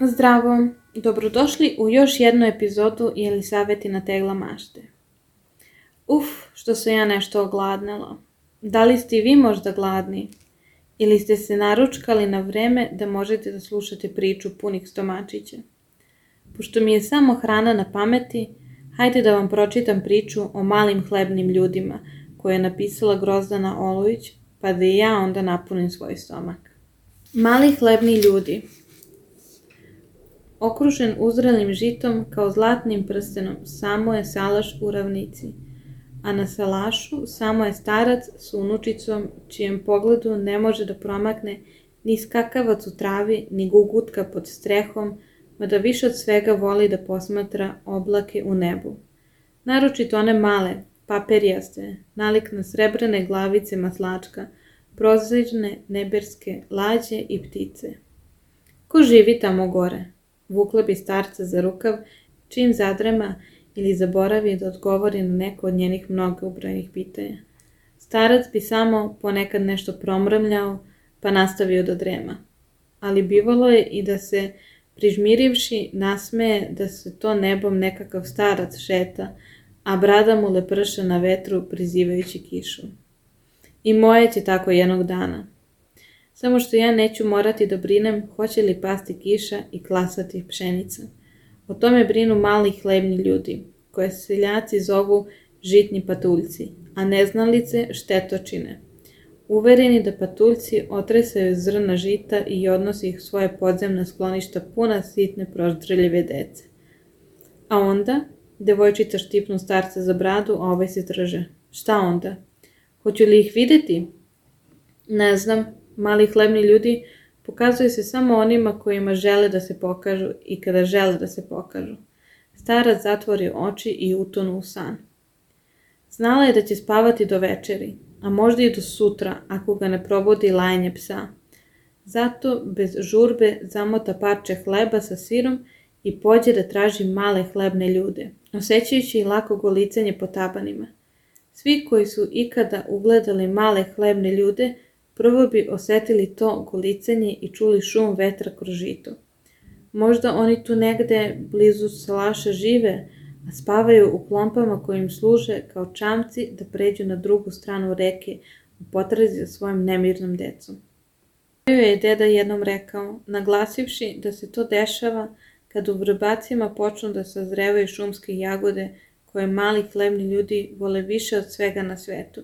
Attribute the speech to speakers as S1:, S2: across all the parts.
S1: Zdravo, dobrodošli u još jednu epizodu Jelisavetina tegla mašte. Što sam ja nešto ogladnela. Da li ste i vi možda gladni? Ili ste se naručkali na vreme da možete da slušate priču punih stomačića? Pošto mi je samo hrana na pameti, hajde da vam pročitam priču o malim hlebnim ljudima koju je napisala Grozdana Olović, pa da i ja onda napunim svoj stomak. Mali hlebni ljudi. Okružen uzrelim žitom kao zlatnim prstenom, samo je salaš u ravnici, a na salašu samo je starac s unučicom, čijem pogledu ne može da promakne ni skakavac u travi, ni gugutka pod strehom, mada više od svega voli da posmatra oblake u nebu. Naročito one male, paperijaste, nalik na srebrne glavice maslačka, prozirne neberske lađe i ptice. Ko živi tamo gore? Vukla bi starca za rukav, čim zadrema ili zaboravi da odgovori na neko od njenih mnogobrojnih pitanja. Starac bi samo ponekad nešto promrmljao, pa nastavio da drema. Ali bivalo je i da se, prižmirivši, nasmeje da se to nebom nekakav starac šeta, a brada mu leprša na vetru prizivajući kišu. I moje će tako jednog dana. Samo što ja neću morati da brinem hoće li pasti kiša i klasati pšenica. O tome brinu mali hlebni ljudi, koje seljaci zovu žitni patuljci, a neznalice štetočine. Uvereni da patuljci otresaju zrna žita i odnosi ih svoje podzemna skloništa puna sitne proždrljive dece. A onda, devojčica štipnu starca za bradu, a ovaj se trže. Šta onda? Hoću li ih videti? Ne znam. Mali hlebni ljudi pokazuju se samo onima kojima žele da se pokažu i kada žele da se pokažu. Starac zatvori oči i utonu u san. Znala je da će spavati do večeri, a možda i do sutra ako ga ne probudi lajanje psa. Zato bez žurbe zamota parče hleba sa sirom i pođe da traži male hlebne ljude, osjećajući lako golicanje po tabanima. Svi koji su ikada ugledali male hlebne ljude prvo bi osetili to golicanje i čuli šum vetra kroz žito. Možda oni tu negde blizu salaša žive, a spavaju u klompama koji im služe kao čamci da pređu na drugu stranu reke u potrazi za svojim nemirnom decom. Joj je deda jednom rekao, naglasivši da se to dešava kad u vrbacima počnu da sazrevaju šumske jagode koje mali hlebni ljudi vole više od svega na svetu,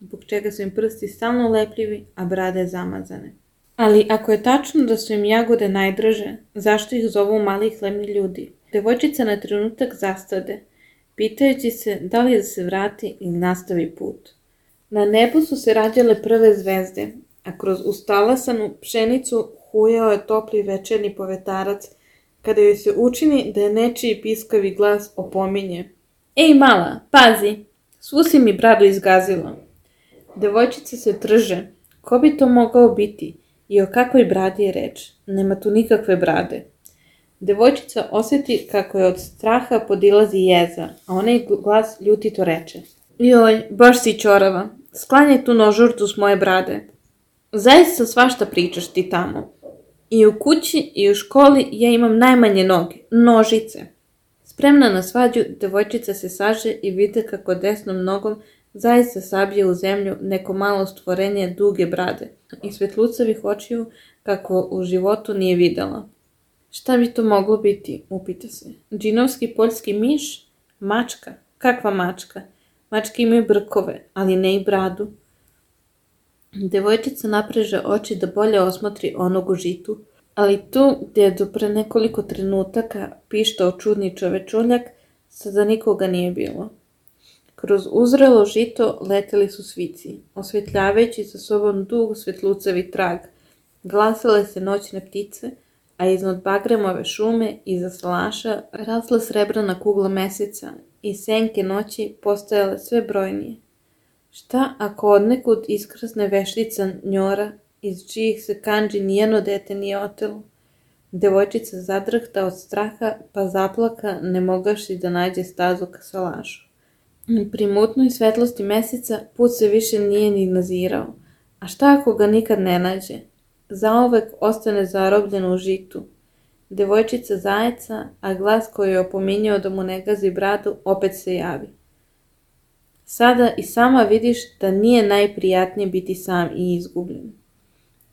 S1: zbog čega su im prsti stalno lepljivi, a brade zamazane. Ali ako je tačno da su im jagode najdraže, zašto ih zovu mali hlebni ljudi? Devojčica na trenutak zastade, pitajući se da li da se vrati ili nastavi put. Na nebu su se rađale prve zvezde, a kroz ustalasanu pšenicu hujao je topli večerni povetarac, kada joj se učini da je nečiji piskavi glas opominje. Ej mala, pazi, svu si mi bradu izgazila. Devojčica se trže. Ko bi to mogao biti? I o kakvoj bradi je reč? Nema tu nikakve brade. Devojčica osjeti kako je od straha podilazi jeza, a onaj glas ljutito reče. Joj, baš si ćorava. Sklanjaj tu nožurtu s moje brade. Zaista svašta pričaš ti tamo. I u kući i u školi ja imam najmanje noge, nožice. Spremna na svađu, devojčica se saže i vide kako desnom nogom zaista sabije u zemlju neko malo stvorenje duge brade i svetlucavih očiju kako u životu nije videla. Šta bi to moglo biti, upita se. Džinovski poljski miš? Mačka? Kakva mačka? Mačke imaju brkove, ali ne i bradu. Devojčica napreže oči da bolje osmotri onog u žitu, ali tu gdje je do pre nekoliko trenutaka pištao čudni čovečuljak, sada nikoga nije bilo. Kroz uzrelo žito leteli su svici, osvetljavajući sa sobom dug svetlucavi trag. Glasale se noćne ptice, a iznad bagremove šume iza salaša rasla srebrana kugla meseca i senke noći postajale sve brojnije. Šta ako odnekud iskrsne veštica njora, iz čijih se kandži nijeno dete nije otelo? Devojčica zadrhta od straha, pa zaplaka ne mogavši da nađe stazu ka salašu. Pri mutnoj svetlosti meseca put se više nije ni nazirao, a šta ako ga nikad ne nađe? Zauvek ostane zarobljen u žitu. devojčica zajeca, a glas koji je opominjao da mu ne gazi bradu opet se javi. Sada i sama vidiš da nije najprijatnije biti sam i izgubljen.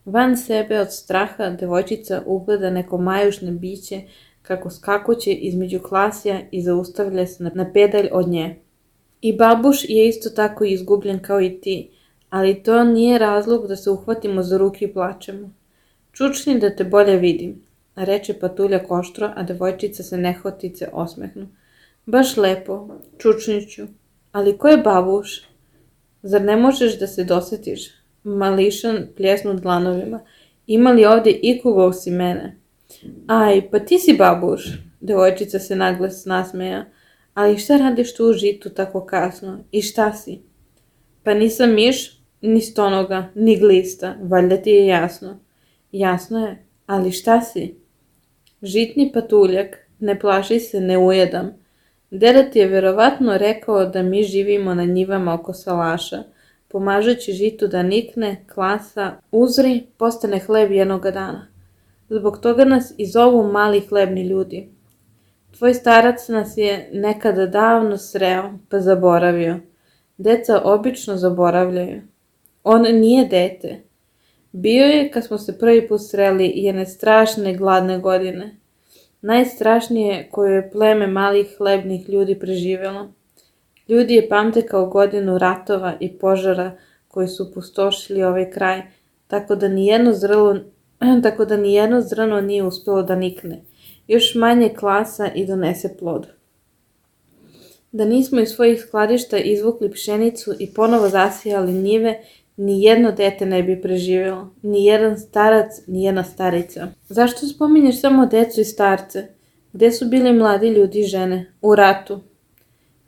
S1: Van sebe od straha devojčica ugleda neko majušne biće kako skakuće između klasija i zaustavlja se na pedalj od nje. I babuš je isto tako izgubljen kao i ti, ali to nije razlog da se uhvatimo za ruke i plačemo. Čučni da te bolje vidim, reče Patuljak oštro, a devojčica se nehotice osmehnu. Baš lepo, čučniću, ali ko je babuš? Zar ne možeš da se dosetiš? Mališan pljesnu dlanovima. Ima li ovdje ikoga osim mene? Aj, pa ti si babuš, devojčica se naglas nasmeja. Ali šta radiš tu u žitu tako kasno? I šta si? Pa nisam miš, ni stonoga, ni glista, valjda ti je jasno. Jasno je, ali šta si? Žitni patuljak, ne plaši se, ne ujedam. Deda ti je verovatno rekao da mi živimo na njivama oko salaša, pomažući žitu da nikne, klasa, uzri, postane hleb jednoga dana. Zbog toga nas i zovu mali hlebni ljudi. Tvoj starac nas je nekada davno sreo, pa zaboravio. Deca obično zaboravljaju. On nije dete. Bio je kad smo se prvi put sreli jedne strašne gladne godine. Najstrašnije koju je pleme malih hlebnih ljudi preživjelo. Ljudi je pamte kao godinu ratova i požara koji su pustošili ovaj kraj, tako da nijedno zrno nije uspjelo da nikne. Još manje klasa i donese plod. Da nismo iz svojih skladišta izvukli pšenicu i ponovo zasijali njive, ni jedno dete ne bi preživjelo, ni jedan starac, ni jedna starica. Zašto spominješ samo decu i starce? Gde su bili mladi ljudi i žene? U ratu.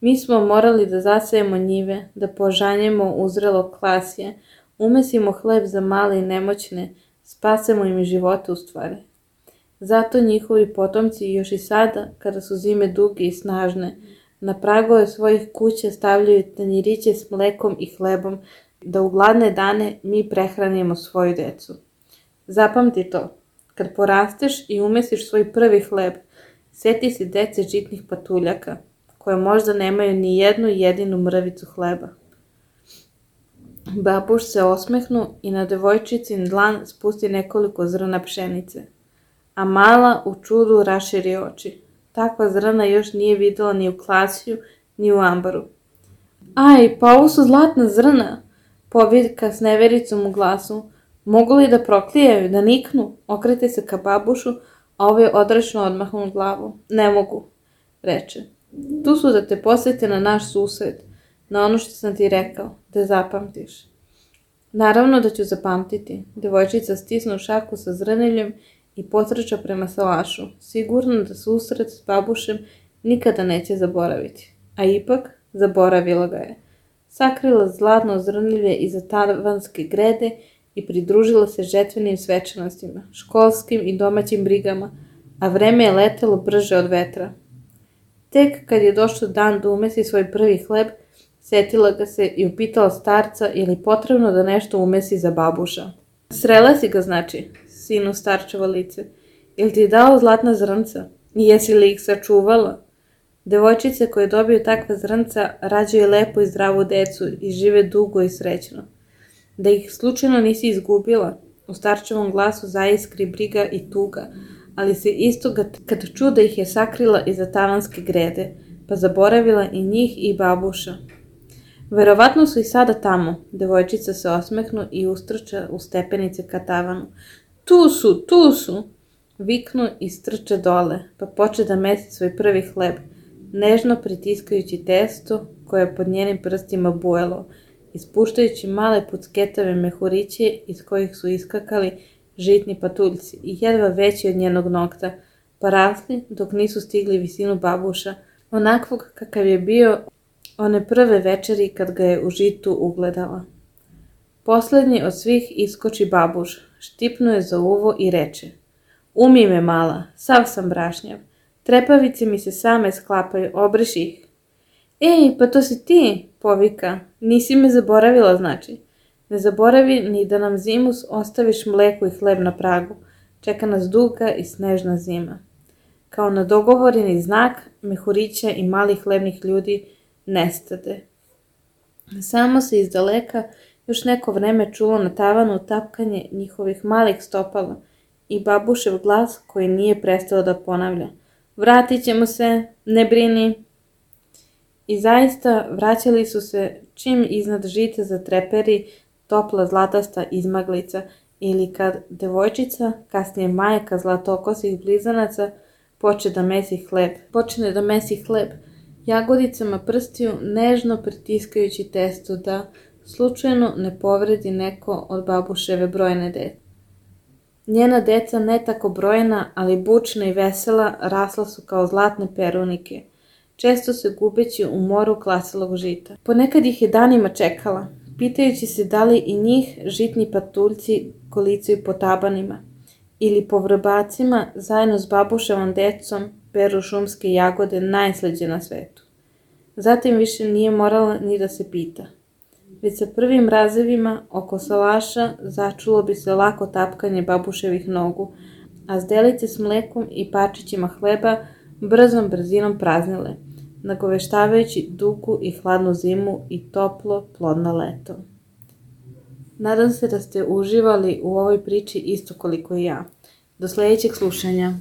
S1: Mi smo morali da zasejemo njive, da požanjemo uzrelo klasje, umesimo hleb za male i nemoćne, spasemo im živote u stvari. Zato njihovi potomci još i sada, kada su zime duge i snažne, na pragove svojih kuća stavljaju tanjiriće s mlekom i hlebom, da u gladne dane mi prehranimo svoju decu. Zapamti to, kad porasteš i umesiš svoj prvi hleb, sjeti se dece žitnih patuljaka, koje možda nemaju ni jednu jedinu mrvicu hleba. Babuš se osmehnu i na devojčicin dlan spusti nekoliko zrna pšenice, a mala u čudu raširi oči. Takva zrna još nije videla ni u klasiju, ni u ambaru. Aj, pa ovo su zlatna zrna, povika s nevericom u glasu. Mogu li da proklijaju, da niknu? Okrete se ka babušu, a ovaj odrešno odmahnu glavu. Ne mogu, reče. Tu su da te posjete na naš susret, na ono što sam ti rekao, da zapamtiš. Naravno da ću zapamtiti. Devojčica stisnu šaku sa zrneljem i potrča prema salašu, sigurno da susret s babušem nikada neće zaboraviti. A ipak, zaboravila ga je. Sakrila zlatno zrnilje iza tavanske grede i pridružila se žetvenim svečanostima, školskim i domaćim brigama, a vreme je letelo brže od vetra. Tek kad je došao dan da umesi svoj prvi hleb, setila ga se i upitala starca je li potrebno da nešto umesi za babuša. Srela si ga, znači, sinu starčevo lice. Jel ti je dao zlatna zrnca? I jesi li ih sačuvala? Devojčice koje dobiju takva zrnca rađaju lepo i zdravu decu i žive dugo i srećno. Da ih slučajno nisi izgubila, u starčevom glasu zaiskri briga i tuga, ali se istoga kad ču da ih je sakrila iza tavanske grede, pa zaboravila i njih i babuša. Verovatno su i sada tamo, devojčica se osmehnu i ustrča u stepenice ka tavanu. Tu su, viknu i strče dole, pa poče da mesi svoj prvi hleb, nežno pritiskajući testo koje je pod njenim prstima bujalo, ispuštajući male pucketave mehuriće iz kojih su iskakali žitni patuljci i jedva veći od njenog nokta, pa rasli dok nisu stigli visinu babuša, onakvog kakav je bio one prve večeri kad ga je u žitu ugledala. Poslednji od svih iskoči babuš, štipnuje za uvo i reče: Umi me mala, sav sam brašnjav, trepavice mi se same sklapaju, obriši ih. Ej, pa to si ti, povika, nisi me zaboravila, znači. Ne zaboravi ni da nam zimus ostaviš mleko i hleb na pragu. čeka nas duga i snežna zima. Kao na dogovoreni znak, mehurića i malih hlebnih ljudi nestade. Samo se iz daleka još neko vreme čulo na tavanu tapkanje njihovih malih stopala i babušev glas koji nije prestao da ponavlja: "Vratit ćemo se, ne brini." I zaista vraćali su se čim iznad žita zatreperi topla zlatasta izmaglica ili kad devojčica, kasnije majka zlatokosih blizanaca, počne da mesi hleb, jagodicama prstiju nežno pritiskajući testo da slučajno ne povredi neko od babuševe brojne dece. Njena deca, ne tako brojna, ali bučna i vesela, rasla su kao zlatne perunike, često se gubeći u moru klaselog žita. Ponekad ih je danima čekala, pitajući se da li i njih žitni patuljci kolicaju po tabanima ili po vrbacima zajedno s babuševom decom peru šumske jagode najslađe na svetu. Zatim više nije morala ni da se pita. Već sa prvim mrazevima oko salaša začulo bi se lako tapkanje babuševih nogu, a zdelice s mlekom i parčićima hleba brzom brzinom praznile, nagoveštavajući dugu i hladnu zimu i toplo, plodno leto. Nadam se da ste uživali u ovoj priči isto koliko i ja. Do sljedećeg slušanja.